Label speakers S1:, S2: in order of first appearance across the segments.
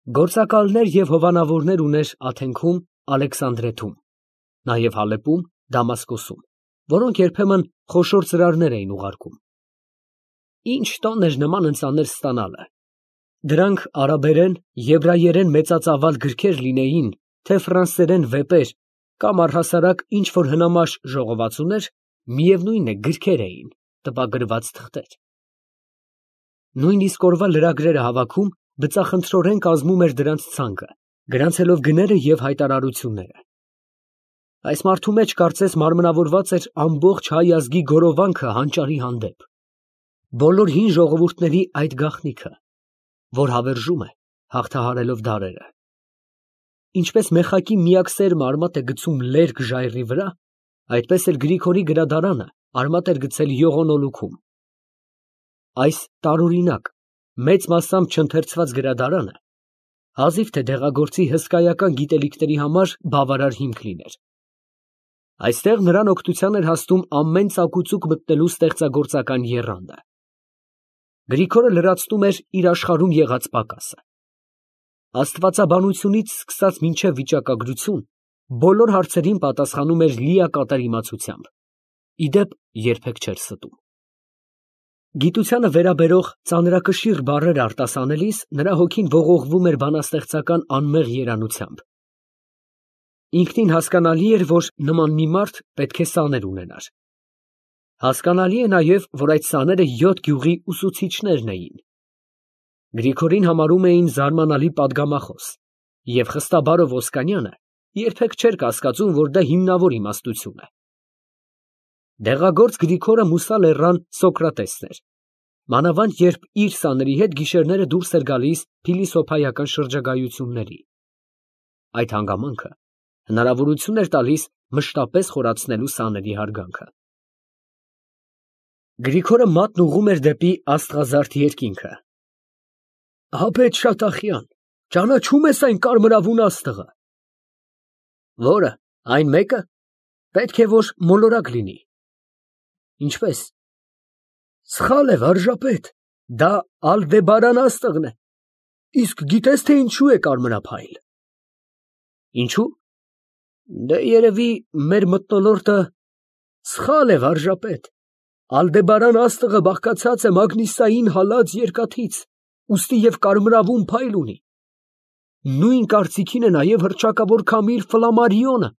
S1: Գործակալներ և հովանավորներ ուներ Աթենքում, Ալեքսանդրեթում, նաև Հալեպում, Դամասկոսում, որոնք երբեմն խոշոր ծրարներ էին ուղարկում։ Ինչ տոն էր նման ընծաներ ստանալը. դրանք արաբերեն, եբրայերեն մեծածավալ գրքեր լինեին, թե ֆրանսերեն վեպեր, կամ առհասարակ ինչ որ հնամաշ ժողովածուներ, միևնույն է գրքեր էին, տպագրված թղթեր։ Նույնիսկ օրվա լրագրերը հավաքում, բծախնդրորեն կազմում էր դրանց ցանկը, գրանցելով գները և հայտարարությունները։ Այս մարդու մեջ կարծես մարմնավորված էր ամբողջ հայ ազգի գորովանքը հանճարի հանդեպ, բոլոր հին ժողովուրդների այդ գաղտնիքը, որ հավերժում է, հաղթահարելով դարերը։ Ինչպես մեխակի միակ սերմը արմատ է գցում լերկ ժայռի վրա, այդպես էլ Գրիգորի գրադարանը արմատ էր գցել ողոնոլուքում։ Այս տարօրինակ, մեծ մասամբ չընթերցված գրադարանը հազիվ թե դեղագործի հսկայական գիտելիքների համար բավարար հիմք լիներ։ Այստեղ նրան օգնության էր հասնում ամեն ծակուծուկ մտնելու ստեղծագործական եռանդը։ Գրիգորը լրացնում էր իր աշխարհում եղած պակասը։ Աստվածաբանությունից սկսած մինչև վիճակագրություն, բոլոր հարցերին պատասխանում էր լիակատար իմացությամբ, ի դեպ երբեք չէր ստում։ Գիտությանը վերաբերող ծանրակշիռ բառեր արտասանելիս նրա հոգին ողողվում էր բանաստեղծական անմեղ երանությամբ։ Ինքնին հասկանալի էր, որ նման մի մարդ պետք է սաներ ունենար։ Հասկանալի է նաև, որ այդ սաները 7 գյուղի ուսուցիչներն էին։ Գրիգորին համարում էին զարմանալի պատգամախոս, և խստաբարով Ոսկանյանը երբեք չէր կասկածում, որ դա հիմնավոր իմաստություն է։ Դեղագործ Գրիգորը Մուսա լեռան Սոկրատեսն էր, մանավանդ երբ իր սաների հետ գիշերները դուրս էր գալիս փիլիսոփայական շրջագայությունների։ Այդ հանգամանքը հնարավորություն էր տալիս մշտապես խորացնելու սաների հարգանքը։ Գրիգորը մատն ուղղում էր դեպի աստղազարդ երկինքը։ Հապետ Շատախյան, ճանաչո՞ւմ ես այն կարմրավուն աստղը։ Որը, այն մեկը, պետք է որ մոլորակ լինի։ Ինչպես։ Սխալ է, վարժապետ, դա Ալդեբարան աստղն է։ Իսկ գիտես թե ինչու է կարմրափայլ։ Ինչու։ Դե երևի մեր մթնոլորտը սխալ է, վարժապետ։ Ալդեբարան աստղը բաղկացած է մագնիսային հալած երկաթից, ուստի և կարմրավուն փայլ ունի։ Նույն կարծիքին է նաև հռչակավոր քամիր Ֆլամարիոնը,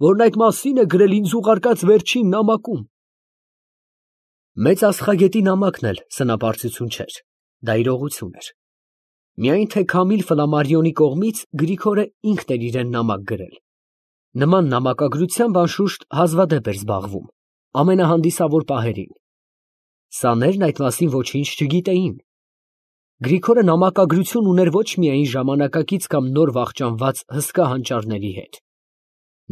S1: որն այդ մասին է գրել ինձ ուղարկած վերջին նամակում։ Մեծ աստղագետի նամակն էլ սնապարծություն չէր, դա իրողություն էր։ Միայն թե Քամիլ Ֆլամարիոնի կողմից Գրիգորը ինքն էր իրեն նամակ գրել։ Նման նամակագրությամբ անշուշտ հազվադեպ էր զբաղվում, ամենահանդիսավոր պահերին։ Սաներն այդ մասին ոչինչ չգիտեին։ Գրիգորը նամակագրություն ուներ ոչ միայն ժամանակակից կամ նոր վախճանված հսկա հանճարների հետ։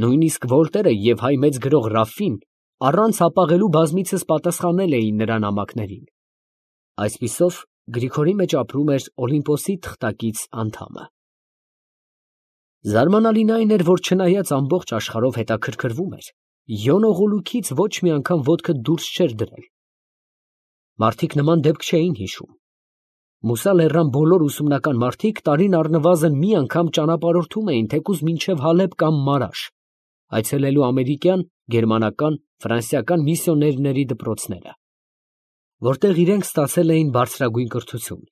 S1: Նույնիսկ Վոլտերը և հայ մեծ գրող Ռաֆին առանց հապաղելու բազմիցս պատասխանել էին նրա նամակներին։ Այսպիսով Գրիգորի մեջ ապրում էր Օլիմպոսի թղթակից անդամը։ Զարմանալին այն էր, որ չնայած ամբողջ աշխարհով հետաքրքրվում էր, Յոնո Ղուլուքից ոչ մի անգամ ոտքը դուրս չէր դրել։ Մարդիկ նման դեպք չէին հիշում։ Մուսա լեռան բոլոր ուսումնական մարդիկ տարին առնվազն մի անգամ ճանապարհորդում էին թեկուզ մինչև Հալեբ կամ Մարաշ, այցելելու ամերիկյան, գերմանական, ֆրանսիական միսիոներների դպրոցները, որտեղ իրենք ստացել էին բարձրագույն կրթություն։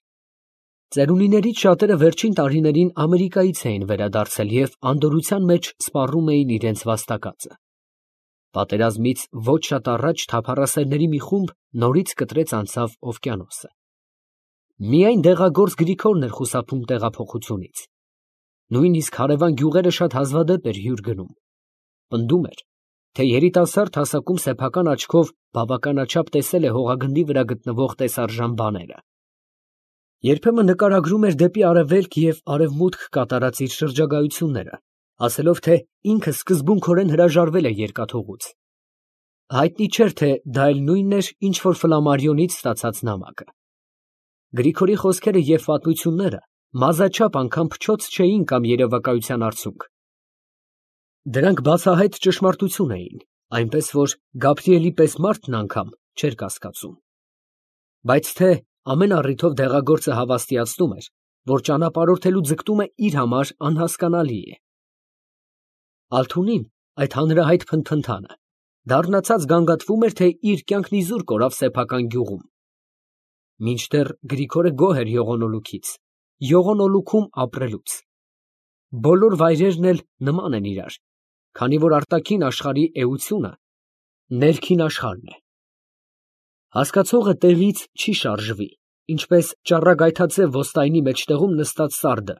S1: Ծերունիներից շատերը վերջին տարիներին Ամերիկայից էին վերադարձել և անդորրության մեջ սպառում էին իրենց վաստակածը։ Պատերազմից ոչ շատ առաջ թափառասերների մի խումբ նորից կտրեց անցավ օվկիանոսը։ Միայն դեղագործ Գրիգորն էր խուսափում տեղափոխությունից։ Նույնիսկ հարևան գյուղերը շատ հազվադեպ էր հյուր գնում։ Պնդում էր, թե երիտասարդ հասակում սեփական աչքով բավականաչափ տեսել է հողագնդի վրա գտնվող տեսարժան բաները։ Երբեմն նկարագրում էր դեպի արևելք և արևմուտք կատարած իր շրջագայությունները, ասելով, թե ինքը սկզբունքորեն հրաժարվել է երկաթուղուց։ Հայտնի չէր, թե դա էլ նույնն էր, ինչ որ Ֆլամարիոնից ստացած նամակը։ Գրիգորի խոսքերը և պատմությունները մազաչափ անգամ փչոց չէին կամ երևակայության արդյունք։ Դրանք բացահայտ ճշմարտություն էին, այնպես որ Գաբրիելի պես մարդն անգամ չէր կասկածում։ Բայց թե ամեն առիթով դեղագործը հավաստիացնում էր, որ ճանապարհորդելու ձգտումը իր համար անհասկանալի է։ Ալթունին այդ հանրահայտ փնթփնթանը դառնացած գանգատվում էր, թե իր կյանքն իզուր կորավ սեփական գյուղում։ Մինչդեռ Գրիգորը գոհ էր յողոնոլուքից, յողոնոլուքում ապրելուց։ Բոլոր վայրերն էլ նման են իրար, քանի որ արտաքին աշխարհի էությունը ներքին աշխարհն է։ Հասկացողը տեղից չի շարժվի, ինչպես ճառագայթաձև ոստայնի մեջտեղում նստած սարդը,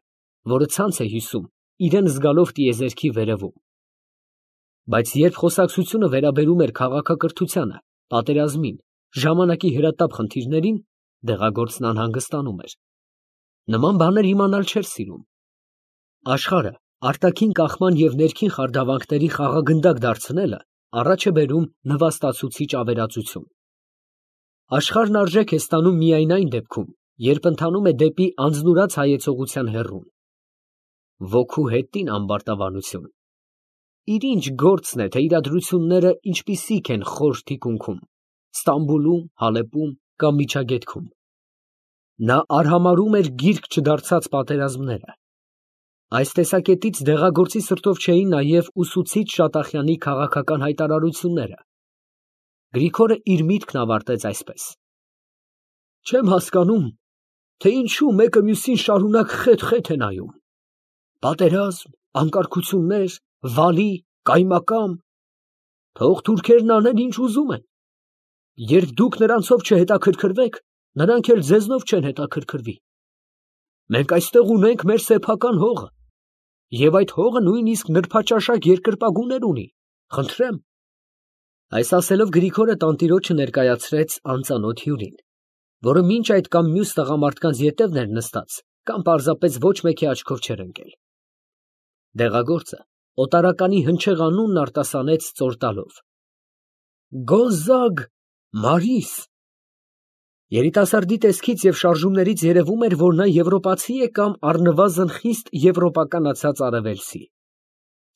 S1: որը ցանց է հյուսում, իրեն զգալով տիեզերքի վերևում։ Բայց երբ խոսակցությունը վերաբերում էր քաղաքակրթությանը, պատերազմին, ժամանակի հրատապ խնդիրներին, դեղագործն անհանգստանում էր։ Նման բաներ իմանալ չէր սիրում։ Աշխարհը արտաքին կախման և ներքին խարդավանքների խաղագնդակ դարձնելը առաջ է բերում նվաստացուցիչ ավերածություն։ Աշխարհն արժեք է ստանում միայն այն դեպքում, երբ ընթանում է դեպի անձնուրաց հայեցողության հեռուն։ Ոգու հետին ամբարտավանություն։ Իր ինչ գործն է, թե իրադրությունները ինչպիսիք են խոր թիկունքում, Ստամբուլում, Հալեպում կամ Միջագետքում։ Նա արհամարհում էր գիրք չդարձած պատերազմները։ Այս տեսակետից դեղագործի սրտով չէին նաև ուսուցիչ Շատախյանի քաղաքական հայտարարությունները։ Գրիգորը իր միտքն ավարտեց այսպես. Չեմ հասկանում, թե ինչու մեկը մյուսին շարունակ խեթ է նայում։ Պատերազմ, անկարգություններ, վալի, կայմակամ, թող թուրքերն անեն ինչ ուզում են։ Երբ դուք նրանցով չհետաքրքրվեք, նրանք էլ ձեզնով չեն հետաքրքրվի։ Մենք այստեղ ունենք մեր սեփական հողը, և այդ հողը նույնիսկ նրբաճաշակ երկրպագուներ ունի, խնդրեմ։ Այս ասելով Գրիգորը տանտիրոջը ներկայացրեց անծանոթ հյուրին, որը մինչ այդ կամ մյուս տղամարդկանց ետևն էր նստած, կամ պարզապես ոչ մեկի աչքով չէր ընկել։ Դեղագործը օտարականի հնչեղ անունն արտասանեց ծոր տալով. Գոնզագ Մարիս։ Երիտասարդի տեսքից և շարժումներից երևում էր, որ նա եվրոպացի է կամ առնվազն խիստ եվրոպականացած արևելցի։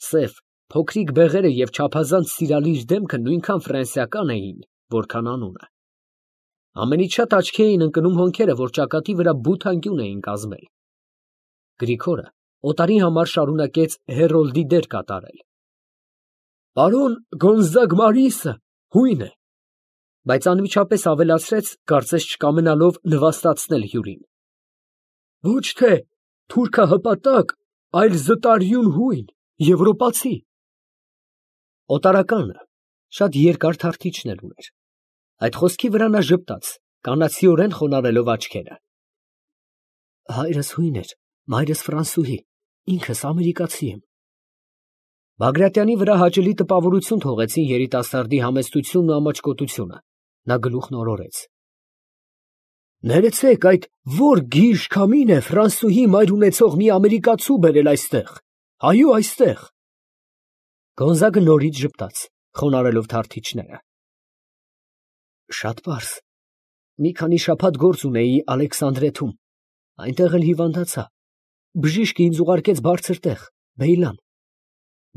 S1: Սև, փոքրիկ բեղերը և չափազանց սիրալիր դեմքը նույնքան ֆրանսիական էին, որքան անունը։ Ամենից շատ աչքի էին ընկնում հոնքերը, որ ճակատի վրա բութ անկյուն էին կազմել։ Գրիգորը օտարի համար շարունակեց հերոլդի դեր կատարել։ Պարոն Գոնզագ Մարիսը հույն է, բայց անմիջապես ավելացրեց, կարծես չկամենալով նվաստացնել հյուրին. Ոչ թե թուրքահպատակ, այլ զտարյուն հույն, եվրոպացի։ Օտարականը շատ երկար թարթիչներ ուներ։ Այդ խոսքի վրա նա ժպտաց, կանացիորեն խոնարհելով աչքերը։ Հայրս հույն էր, մայրս ֆրանսուհի, ինքս ամերիկացի եմ։ Բագրատյանի վրա հաճելի տպավորություն թողեցին երիտասարդի համեստությունն ու ամաչկոտությունը։ Նա գլուխն օրորեց։ Ներեցեք, այդ որ գիժ քամին է ֆրանսուհի մայր ունեցող մի ամերիկացու բերել այստեղ, այո, այստեղ։ Գոնզագը նորից ժպտաց, խոնարհելով թարթիչները։ Շատ պարզ։ Մի քանի շաբաթ գործ ունեի Ալեքսանդրեթում, այնտեղ էլ հիվանդացա։ Բժիշկը ինձ ուղարկեց բարձր տեղ, Բեյլան,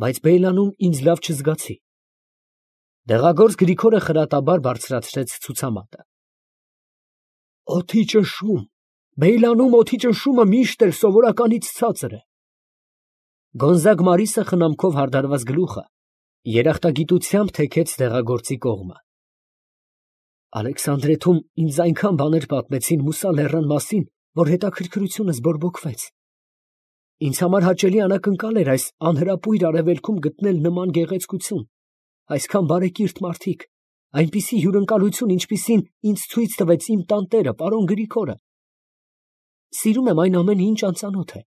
S1: բայց Բեյլանում ինձ լավ չզգացի։ Դեղագործ Գրիգորը խրատաբար բարձրացրեց ցուցամատը։ Օդի ճնշում, Բեյլանում օդի ճնշումը միշտ էլ սովորականից ցածր է։ Գոնզագ Մարիսը խնամքով հարդարված գլուխը երախտագիտությամբ թեքեց դեղագործի կողմը։ Ալեքսանդրեթում ինձ այնքան բաներ պատմեցին Մուսա լեռան մասին, որ հետաքրքրությունս բորբոքվեց։ Ինձ համար հաճելի անակնկալ էր այս անհրապույր արևելքում գտնել նման գեղեցկություն, այսքան բարեկիրթ մարդիկ, այնպիսի հյուրընկալություն, ինչպիսին ինձ ցույց տվեց իմ տանտերը, պարոն Գրիգորը։ Սիրում եմ այն ամենը, ինչ անծանոթ է։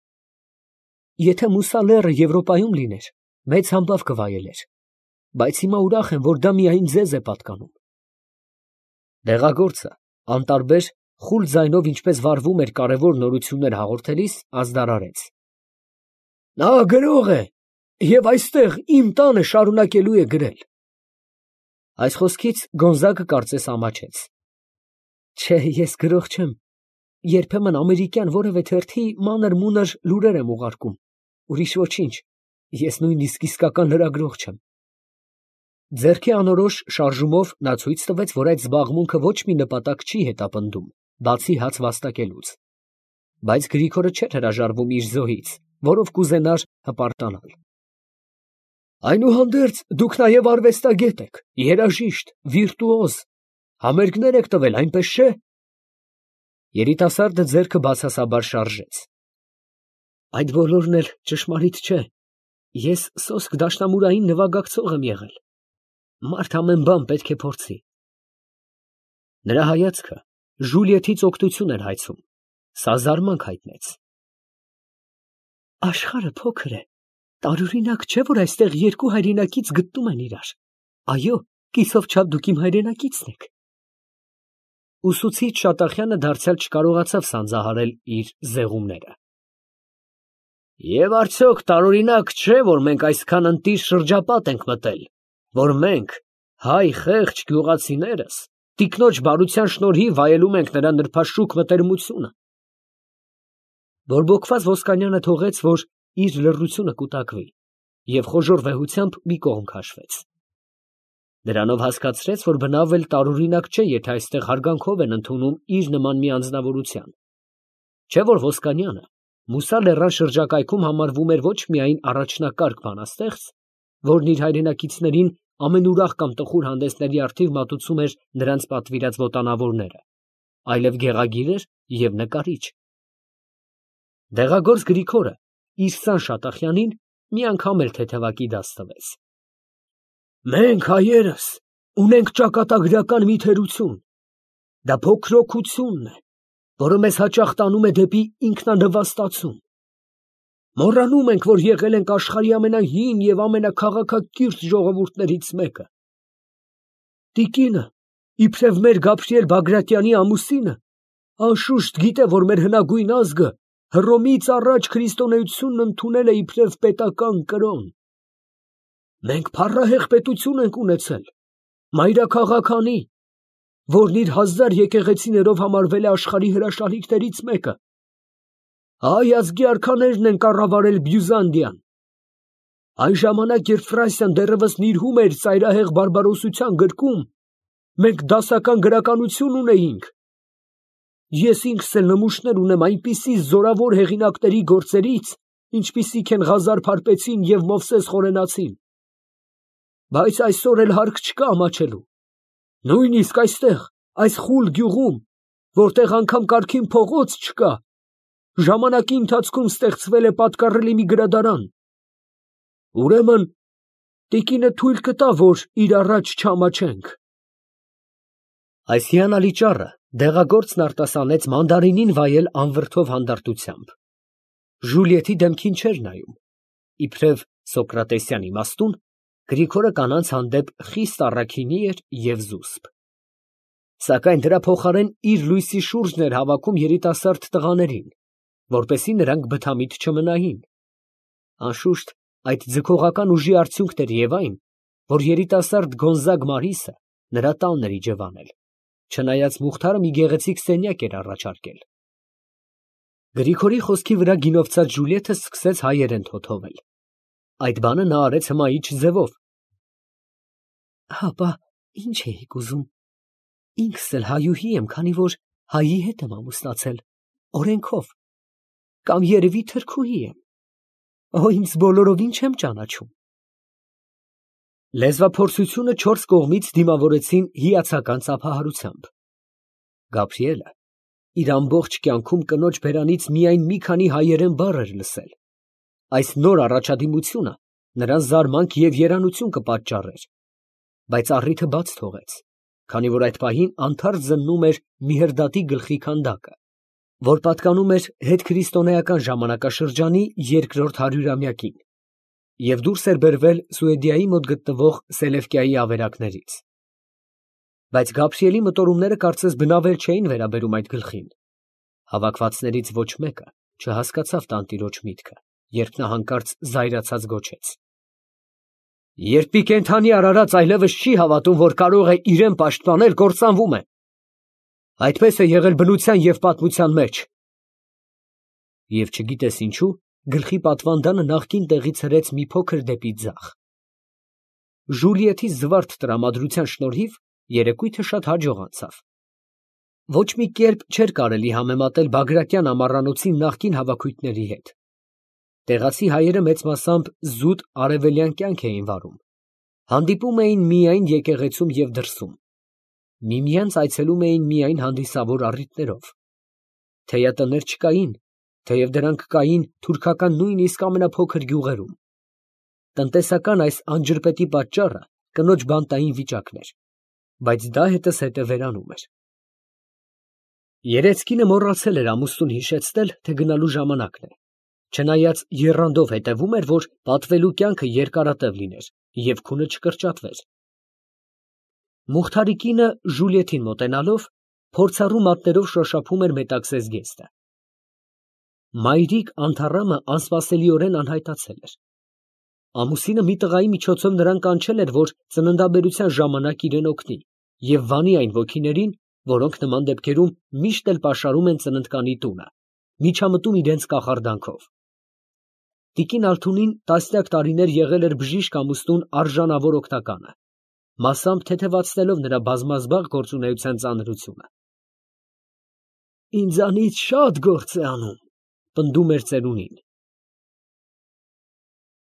S1: Եթե Մուսա լեռը Եվրոպայում լիներ, մեծ համբավ կվայելեր, բայց հիմա ուրախ եմ, որ դա միայն ձեզ է պատկանում։ Դեղագործը անտարբեր խուլ ձայնով, ինչպես վարվում էր կարևոր նորություններ հաղորդելիս, ազդարարեց. Նա գրող է և այստեղ իմ տանը շարունակելու է գրել։ Այս խոսքից Գոնզագը կարծես ամաչեց։ Չէ, ես գրող չեմ, երբեմն ամերիկյան որևէ թերթի մանր-մունր լուրեր եմ ուղարկում, ուրիշ ոչինչ, ես նույնիսկ իսկական լրագրող չեմ։ Ձեռքի անորոշ շարժումով նա ցույց տվեց, որ այդ զբաղմունքը ոչ մի նպատակ չի հետապնդում, բացի հաց վաստակելուց։ Բայց Գրիգորը չէր հրաժարվում իր զոհից, որով կուզենար հպարտանալ։ Այնուհանդերձ դուք նաև արվեստագետ եք, երաժիշտ, վիրտուոզ, համերգներ եք տվել, այնպես չէ՞։ Երիտասարդը ձեռքը բացասաբար շարժեց։ Այդ բոլորն էլ ճշմարիտ չէ։ Ես սոսկ դաշնամուրային նվագակցող եմ եղել։ Մարդ ամեն բան պետք է փորձի։ Նրա հայացքը Ժուլիետից օգնություն էր հայցում, սա զարմանք հայտնեց։ Աշխարհը փոքր է, տարօրինակ չէ, որ այստեղ երկու հայրենակից գտնում են իրար։ Այո, կիսով չափ դուք իմ հայրենակիցն եք։ Ուսուցիչ Շատախյանը դարձյալ չկարողացավ սանձահարել իր զեղումները։ Եվ արդյոք տարօրինակ չէ, որ մենք այսքան ընտիր շրջապատ ենք մտել, որ մենք, հայ խեղճ գյուղացիներս, տիկնոջ բարության շնորհիվ վայելում ենք նրա նրբաշուք մտերմությունը։ Բորբոքված Ոսկանյանը թողեց, որ իր լռությունը կուտակվի, և խոժոռ վեհությամբ մի կողմ քաշվեց։ Դրանով հասկացրեց, որ բնավ էլ տարօրինակ չէ, եթե այստեղ հարգանքով են ընդունում իր նման մի անձնավորության։ Չէ՞ որ Ոսկանյանը Մուսա լեռան շրջակայքում համարվում էր ոչ միայն առաջնակարգ բանաստեղծ, որն իր հայրենակիցներին ամենուրախ կամ տխուր հանդեսների առթիվ մատուցում էր նրանց պատվիրած ոտանավորները, այլև գեղագիր էր և նկարիչ։ Դեղագործ Գրիգորը իր սան Շատախյանին մի անգամ էլ թեթևակի դաս տվեց։ Մենք հայերս ունենք ճակատագրական մի թերություն, դա փոքրոքությունն է, որը մեզ հաճախ տանում է դեպի ինքնանվաստացում։ Մոռանում ենք, որ եղել ենք աշխարհի ամենահին և ամենաքաղաքակիրթ ժողովուրդներից մեկը։ Տիկինը, իբրև մեր Գաբրիել Բագրատյանի ամուսինը, անշուշտ գիտե, որ մեր հնագույն ազգը Հռոմից առաջ քրիստոնեությունն ընդունել է իբրև պետական կրոն։ Մենք փառահեղ պետություն ենք ունեցել, մայրաքաղաքանի, որն իր 1000 եկեղեցիներով համարվել է աշխարհի հրաշալիքներից մեկը։ Հայ ազգի արքաներն են կառավարել Բյուզանդիան։ Այն ժամանակ, երբ Ֆրանսիան դեռևս նիրհում էր ծայրահեղ բարբարոսության գրկում, մենք դասական գրականություն ունեինք։ Ես ինքս էլ նմուշներ ունեմ այնպիսի զորավոր հեղինակների գործերից, ինչպիսիք են Ղազար Փարպեցին և Մովսես Խորենացին։ Բայց այսօր էլ հարկ չկա ամաչելու։ Նույնիսկ այստեղ, այս խուլ գյուղում, որտեղ անգամ կարգին փողոց չկա, ժամանակի ընթացքում ստեղծվել է պատկառելի մի գրադարան։ Ուրեմն, տիկինը թույլ կտա, որ իր առաջ չամաչենք։ Այս հիանալի ճառը դեղագործն արտասանեց մանդարինին վայել անվրդով հանդարտությամբ։ Ժուլիետի դեմքին չէր նայում։ Իբրև Սոկրատեսյան իմաստուն, Գրիգորը կանանց հանդեպ խիստ առաքինի էր և զուսպ։ Սակայն դրա փոխարեն իր լույսի շուրջն էր հավաքում երիտասարդ տղաներին, որպեսզի նրանք բթամիտ չմնային։ Անշուշտ, այդ ձգողական ուժի արդյունքն էր և այն, որ երիտասարդ Գոնզագ Մարիսը նրա տանն էր իջևանել, չնայած Մուխթարը մի գեղեցիկ սենյակ էր առաջարկել։ Գրիգորի խոսքի վրա գինովցած Ժուլիետը սկսեց հայերեն թոթովել։ Այդ բանը նա արեց հմայիչ ձևով։ Հապա, ինչ էիք ուզում։ Ինքս էլ հայուհի եմ, քանի որ հայի հետ եմ ամուսնացել, օրենքով, կամ երևի թրքուհի եմ։ Օ, ինձ բոլորովին չեմ ճանաչում։ Լեզվափորձությունը 4 կողմից դիմավորեցին հիացական ծափահարությամբ։ Գաբրիելը իր ամբողջ կյանքում կնոջ բերանից միայն մի քանի հայերեն բառ էր լսել։ Այս նոր առաջադիմությունը նրան զարմանք և երանություն կպատճառեր, բայց առիթը բաց թողեց, քանի որ այդ պահին անթարթ զննում էր Միհրդատի գլխի քանդակը, որ պատկանում էր հետքրիստոնեական ժամանակաշրջանի երկրորդ հարյուրամյակին, և դուրս էր բերվել Սուեդիայի մոտ գտնվող Սելևկիայի ավերակներից։ Բայց Գաբրիելի մտորումները կարծես բնավել չէին վերաբերում այդ գլխին։ Հավաքվածներից ոչ մեկը չհասկացավ տանտիրոջ միտքը, երբ նա հանկարծ զայրացած գոչեց. Երբ մի կենդանի արարած այլևս չի հավատում, որ կարող է իրեն պաշտպանել, կործանվում է։ Այդպես է եղել բնության և պատմության մեջ։ Եվ չգիտես ինչու, գլխի պատվանդանը նախկին տեղից հրեց մի փոքր դեպի ձախ։ Ժուլիետի զվարթ տրամադրության շնորհիվ երեկույթը շատ հաջող անցավ։ Ոչ մի կերպ չէր կարելի համեմատել Բագրատյան ամառանոցի նախկին հավաքույթների հետ։ Տեղացի հայերը մեծ մասամբ զուտ արևելյան կյանք էին վարում, հանդիպում էին միայն եկեղեցում և դրսում, միմյանց այցելում էին միայն հանդիսավոր առիթներով։ Թեյատներ չկային, թեև դրանք կային թուրքական նույնիսկ ամենափոքր գյուղերում։ Տնտեսական այս անջրպետի պատճառը կնոջ բանտային վիճակն էր, բայց դա հետզհետե վերանում էր։ Երեսկինը մոռացել էր ամուսնուն հիշեցնել, թե գնալու ժամանակն է, չնայած եռանդով հետևում էր, որ պատվելու կյանքը երկարատև լիներ և քունը չկրճատվեր։ Մուխթարի կինը Ժուլիետին մոտենալով, փորձառու մատներով շոշափում էր մետաքսես զգեստը։ Մայրիկ Անթառամը անսպասելիորեն անհայտացել էր։ Ամուսինը մի տղայի միջոցով նրան կանչել էր, որ ծննդաբերության ժամանակ իրեն օգնի և վանի այն ոգիներին, որոնք նման դեպքերում միշտ էլ պաշարում են ծննդկանի տունը, միջամտում իրենց կախարդանքով։ Տիկին Ալթունին տասնյակ տարիներ եղել էր բժիշկ ամուսնուն արժանավոր օգնականը, մասամբ թեթևացնելով նրա բազմազբաղ գործունեության ծանրությունը։ «Ինձանից շատ գործ է անում», ֊ պնդում էր ծերունին։